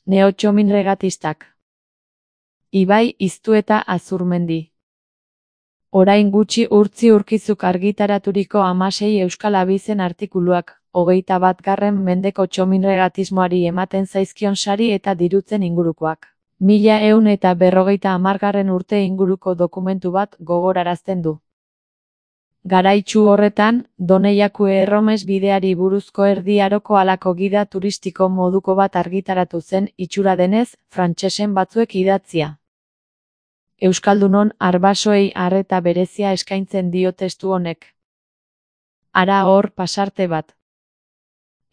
Neotxominregatistak. Ibai Iztueta Azurmendi. Orain gutxi Urtzi Urkizuk argitaraturiko 16 euskal abizen artikuluak, 21. mendeko txominregatismoari ematen zaizkion sari eta dirutzen ingurukoak. 1150 urte inguruko dokumentu bat gogorarazten du. Garaitsu horretan, Doneiaku Erromes bideari buruzko Erdi Aroko halako gida turistiko moduko bat argitaratu zen, itxura denez, frantsesen batzuek idatzia. Euskaldunon arbasoei arreta berezia eskaintzen dio testu honek. Hara hor pasarte bat.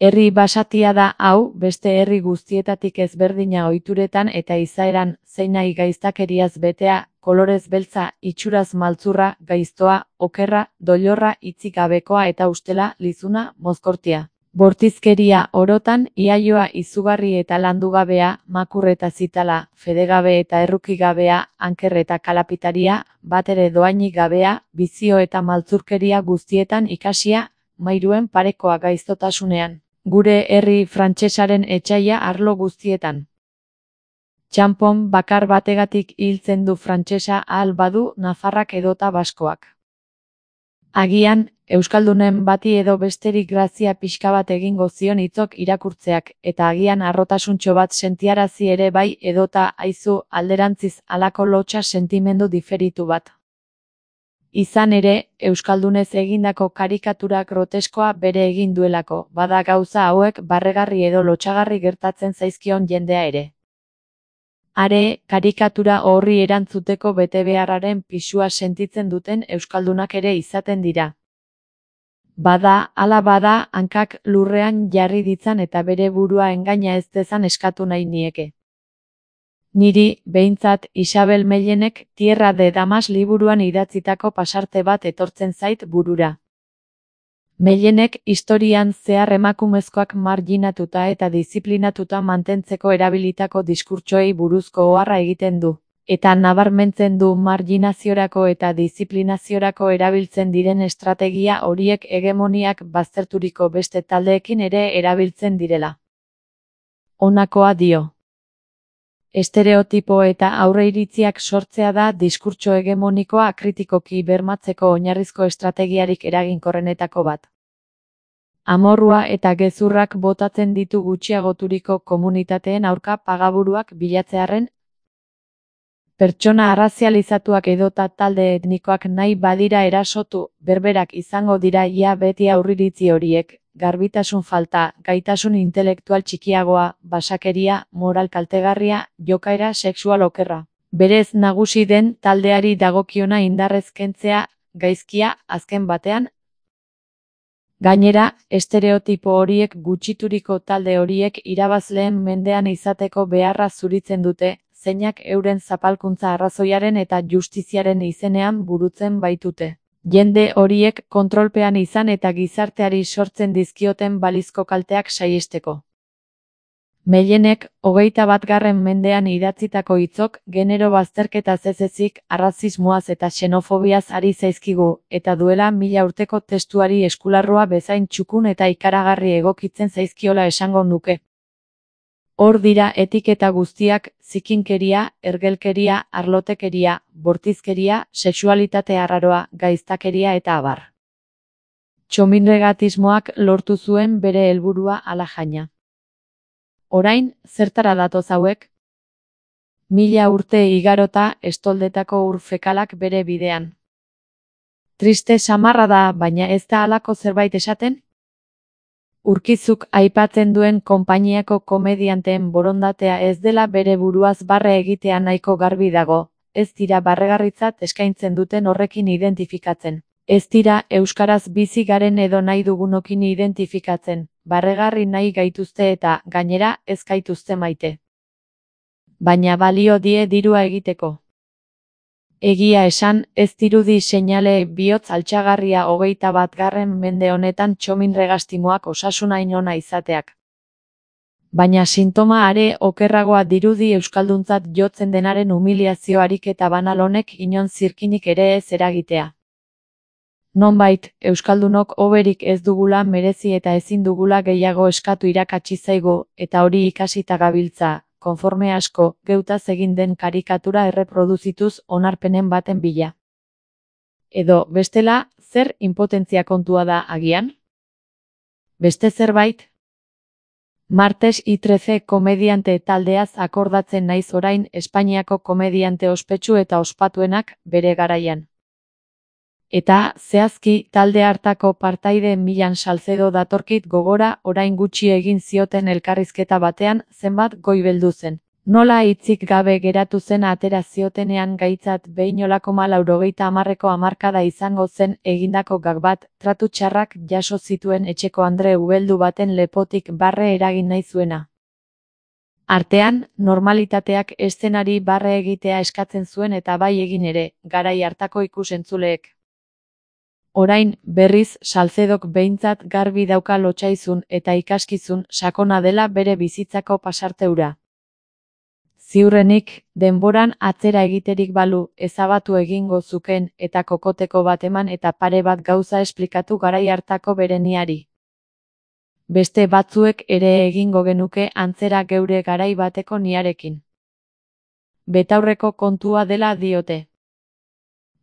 Herri basatia da hau, beste herri guztietatik ezberdina ohituretan eta izaeran, zeinai gaiztakeriaz betea, kolorez beltza, itxuraz maltzurra, gaiztoa, okerra, doilorra, hitzik gabekoa eta ustela, lizuna, mozkortia. Bortizkeria orotan, iaioa izugarri eta landugabea, makur eta zitala, fedegabe eta errukigabea, anker eta kalapitaria, batere doainik gabea, bizio eta maltzurkeria guztietan ikasia, mairuen parekoa gaiztotasunean. Gure herri frantsesaren etsaia arlo guztietan. Txanpon bakar bategatik hiltzen du frantsesa ahal badu nafarrak edota baskoak. Agian, euskaldunen bati edo besterik grazia pixka bat egingo zion hitzok irakurtzeak, eta agian harrotasuntxo bat sentiarazi ere bai edota aizu alderantziz halako lotsa sentimendu diferitu bat. Izan ere, euskaldunez egindako karikatura groteskoa bere egin duelako, bada gauza hauek barregarri edo lotsagarri gertatzen zaizkion jendea ere. Are, karikatura horri erantzuteko betebeharraren pisua sentitzen duten euskaldunak ere izaten dira. Bada, hala bada, hankak lurrean jarri ditzan eta bere burua engaina ez dezan eskatu nahi nieke. Niri, behintzat, Isabel Mellenek Tierra de Damas liburuan idatzitako pasarte bat etortzen zait burura. Mellenek historian zehar emakumezkoak marginatuta eta disiplinatuta mantentzeko erabilitako diskurtsoei buruzko oharra egiten du, eta nabarmentzen du marginaziorako eta disiplinaziorako erabiltzen diren estrategia horiek hegemoniak bazterturiko beste taldeekin ere erabiltzen direla. Honakoa dio. Estereotipo eta aurreiritziak sortzea da diskurtso hegemonikoa kritikoki bermatzeko oinarrizko estrategiarik eraginkorrenetako bat. Amorrua eta gezurrak botatzen ditu gutxiagoturiko komunitateen aurka pagaburuak bilatzearren, pertsona arrazializatuak edota talde etnikoak nahi badira erasotu, berberak izango dira ia beti aurriritzi horiek. Garbitasun falta, gaitasun intelektual txikiagoa, basakeria, moral kaltegarria, jokaera sexual okerra. Berez nagusi den taldeari dagokiona indarrez kentzea, gaizkia, azken batean. Gainera, estereotipo horiek gutxituriko talde horiek irabazleen mendean izateko beharra zuritzen dute, zeinak euren zapalkuntza arrazoiaren eta justiziaren izenean burutzen baitute. Jende horiek kontrolpean izan eta gizarteari sortzen dizkioten balizko kalteak saihesteko. Mellenek, 21. mendean idatzitako hitzok, genero bazterketaz ez ezik, arrazismoaz eta xenofobiaz ari zaizkigu, eta duela 1000 urteko testuari eskularroa bezain txukun eta ikaragarri egokitzen zaizkiola esango nuke. Hor dira etiketa guztiak, zikinkeria, ergelkeria, arlotekeria, bortizkeria, sexualitate arraroa, gaiztakeria eta abar. Txominregatismoak lortu zuen bere helburua ala jaina. Orain, zertara datoz hauek? 1000 urte igarota estoldetako ur fekalak bere bidean. Triste samarra da, baina ez da halako zerbait esaten? Urkizuk aipatzen duen konpainiako komedianteen borondatea ez dela bere buruaz barre egitea nahiko garbi dago, ez dira barregarritzat eskaintzen duten horrekin identifikatzen. Ez dira euskaraz bizi garen edo nahi dugunokin identifikatzen, barregarri nahi gaituzte eta, gainera, ez gaituzte maite. Baina balio die dirua egiteko. Egia esan, ez dirudi seinale bihotz altxagarria 21. mende honetan txominregastimoak osasunain ona izateak. Baina sintoma are okerragoa dirudi euskalduntzat jotzen denaren humiliazio ariketa banal honek inon zirkinik ere ez eragitea. Nonbait, euskaldunok hoberik ez dugula merezi eta ezin dugula gehiago eskatu irakatsi zaigu, eta hori ikasita gabiltza, konforme asko, geutaz egin den karikatura erreproduzituz onarpenen baten bila. Edo, bestela, zer inpotentzia kontua da agian? Beste zerbait? Martes i13 komediante taldeaz akordatzen naiz orain Espainiako komediante ospetsu eta ospatuenak bere garaian. Eta, zehazki, talde hartako partaide Milan Salcedo datorkit gogora orain gutxi egin zioten elkarrizketa batean zenbat goibeldu zen. Nola hitzik gabe geratu zen atera ziotenean gaitzat 2,80ko hamarkada izango zen egindako gag bat, tratu txarrak jaso zituen etxeko andre ubeldu baten lepotik barre eragin nahi zuena. Artean, normalitateak eszenari barre egitea eskatzen zuen eta bai egin ere, garai hartako ikusentzuleek. Orain, berriz, Salcedok behintzat garbi dauka lotsaizun eta ikaskizun sakona dela bere bizitzako pasarteura. Ziurrenik, denboran atzera egiterik balu, ezabatu egingo zuken eta kokoteko bat eman eta pare bat gauza esplikatu garai hartako bereniari. Beste batzuek ere egingo genuke antzera geure garai bateko niarekin. Betaurreko kontua dela diote.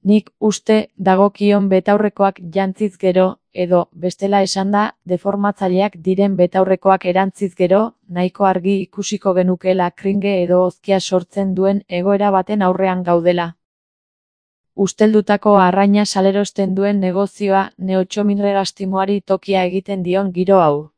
Nik uste dagokion betaurrekoak jantziz gero, edo, bestela esanda, deformatzaileak diren betaurrekoak erantziz gero, nahiko argi ikusiko genukeela kringe edo hozkia sortzen duen egoera baten aurrean gaudela. Usteldutako arraina salerosten duen negozioa neotxominregastimoari tokia egiten dion giro hau.